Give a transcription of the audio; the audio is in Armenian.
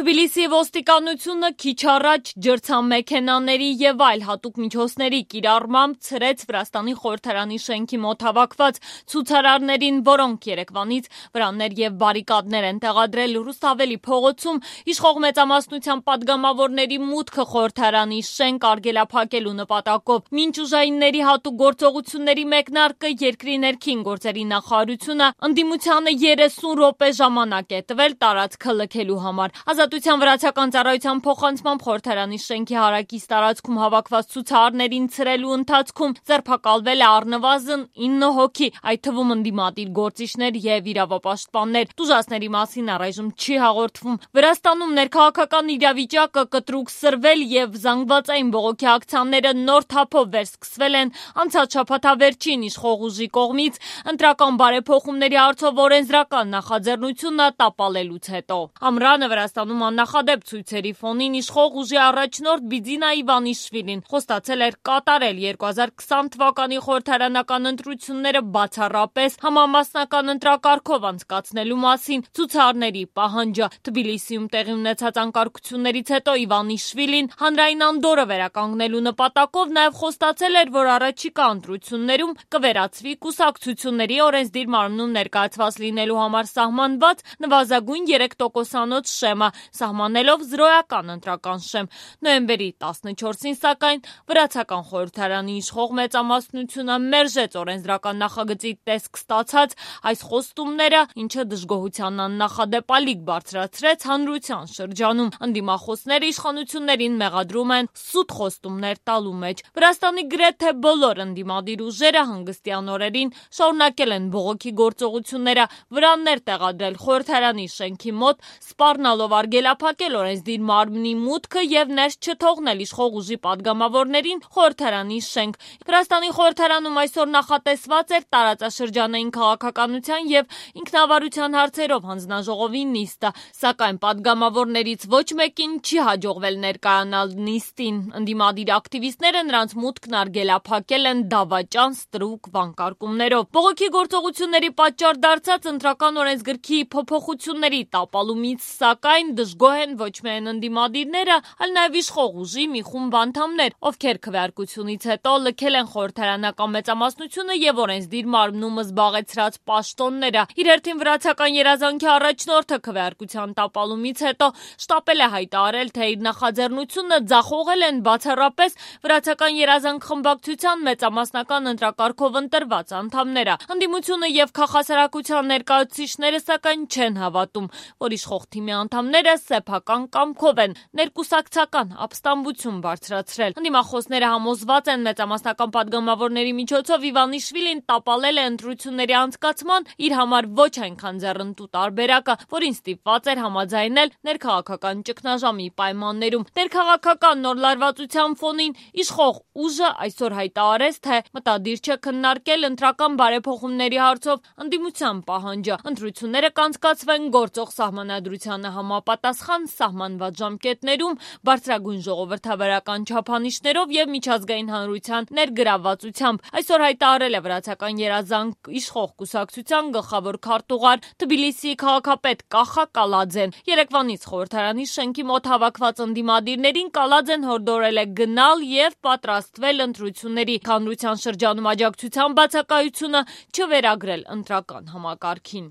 Թբիլիսիի ոստիկանությունը քիչ առաջ ջրցանմեքենաների եւ այլ հատուկ միջոցների կիրառմամբ ցրեց Վրաստանի խորհրդարանի շենքի մոտ հավաքված ցուցարարներին, որոնք երեկվանից վրաններ եւ բարիկադներ են տեղադրել Ռուսթավելի փողոցում, իշխող մեծամասնության падգամավորների մուտքը խորհրդարանի շենք արգելափակելու նպատակով։ Մինչ ուժայինների հատուկ գործողությունների մեկնարկը երկրի ներքին գործերի նախարարությունը ընդդիմությանը 30 րոպե ժամանակ է տվել տարածքը լքելու համար։ Ազատության վրացական ծառայության փոխանցմամբ խորհրդարանի շենքի հարակից տարածքում հավաքված ցուցարարներին ցրելու ընթացքում ձերբակալվել է առնվազն 9 հոգի, այդ թվում ընդդիմադիր գործիչներ եւ իրավապաշտպաններ։ Տուժածների մասին առայժմ չի հաղորդվում։ Վրաստանում ներքաղաքական իրավիճակը կտրուկ սրվել եւ զանգվածային բողոքի ակցիաները նոր թափով վերսկսվել են անցած շաբաթավերջին իշխող ուժի կողմից ընտրական բարեփոխումների հարցով օրենսդրական նախաձեռնությունը տապալելուց հետո։ Ամռանը Վրաստանում աննախադեպ ցույցերի ֆոնին իշխող ուժի առաջնորդ Բիձինա Իվանիշվիլին խոստացել էր կատարել 2020 թվականի խորհրդարանական ընտրությունները բացառապես համամասնական ընտրակարգով անցկացնելու մասին ցուցարարների պահանջը։ Թբիլիսիում տեղի ունեցած անկարգություններից հետո Իվանիշվիլին հանրային անդորրը վերականգնելու նպատակով նաև խոստացել էր, որ առաջիկա ընտրություններում կվերացվի կուսակցությունների օրենսդիր մարմնում ներկայացված լինելու համար սահմանված նվազագույն 3%-անոց շեմը, սահմանելով զրոյական ընտրական շեմ։ Նոյեմբերի 14-ին, սակայն, վրացական խորհրդարանի իշխող մեծամասնությունը մերժեց օրենսդրական նախագծի տեսք ստացած այս խոստումները, ինչը դժգոհության աննախադեպ ալիք բարձրացրեց հանրության շրջանում։ Ընդդիմախոսները իշխանություններին մեղադրում են սուտ խոստումներ տալու մեջ։ Վրաստանի գրեթե բոլոր ընդդիմադիր ուժերը հանգստյան օրերին շարունակել են բողոքի գործողությունները, վրաններ տեղադրել խորհրդարանի շենքի մոտ, սպառնալով արգելափակել օրենսդիր մարմնի մուտքը եւ ներս չթողնել իշխող ուժի падգամավորներին խորհրդարանի շենք։ Վրաստանի խորհրդարանում այսօր նախատեսված էր տարածաշրջանային քաղաքականության եւ ինքնավարության հարցերով հանձնաժողովի նիստը, սակայն падգամավորներից ոչ մեկին չի հաջողվել ներկայանալ նիստին։ Ընդդիմադիր ակտիվիստները նրանց մուտքն արգելափակել են դավաճան ստրուկ վանկարկումներով։ Բողոքի գործողությունների պատճառ դարձած ընտրական օրենսգրքի փոփոխությունների տապալումից, սակայն, դժգոհ են ոչ միայն ընդդիմադիրները, այլ նաև իշխող ուժի մի խումբ անդամներ, ովքեր քվեարկությունից հետո լքել են խորհրդարանական մեծամասնությունը եւ օրենսդիր մարմնում զբաղեցրած պաշտոնները։ Իր հերթին վրացական երազանքի առաջնորդը քվեարկության տապալումից հետո շտապել է հայտարարել, թե իր նախաձեռնությունը ձախողել են բացառապես վրացական երազանք խմբակցության մեծամասնական ընտրակարգով ընտրված անդամները։ Ընդդիմությունը եւ քաղաքասարակության ներկայացուցիչները, սակայն, չեն հավատում, որ իշխող թիմի անդամները սեփական կամքով են ներկուսակցական ապստամբություն բարձրացրել։ Ընդդիմախոսները համոզված են մեծամասնական падգամավորների միջոցով Իվանիշվիլին տապալել է ընտրությունների անցկացման իր համար ոչ այնքան ձեռնտու տարբերակը, որին ստիպված էր համաձայնել ներքաղաքական ճգնաժամի պայմաններում։ Ներքաղաքական նոր լարվածության ֆոնին իշխող ուժը այսօր հայտարարեց, թե մտադիր չէ քննարկել ընտրական բարեփոխումների հարցով ընդդիմության պահանջը։ Ընտրությունները կանցկացվեն գործող սահմանադրությանը համապատասխան սահմանված ժամկետներում, բարձրագույն ժողովրդավարական չափանիշներով եւ միջազգային հանրության ներգրավվածությամբ։ Այսօր հայտարարել է վրացական երազանք իշխող կուսակցության գլխավոր քարտուղար Թբիլիսիի քաղաքապետ Կախա Կալաձեն։ Երեկվանից խորհրդարանի շենքի մոտ հավաքված ընդդիմադիրներին Կալաձեն հորդորել է գնալ եւ պատրաստվել ընտրությունների, հանրության շրջանում աջակցության բացակայությունը չվերագրել ընտրական համակարգին։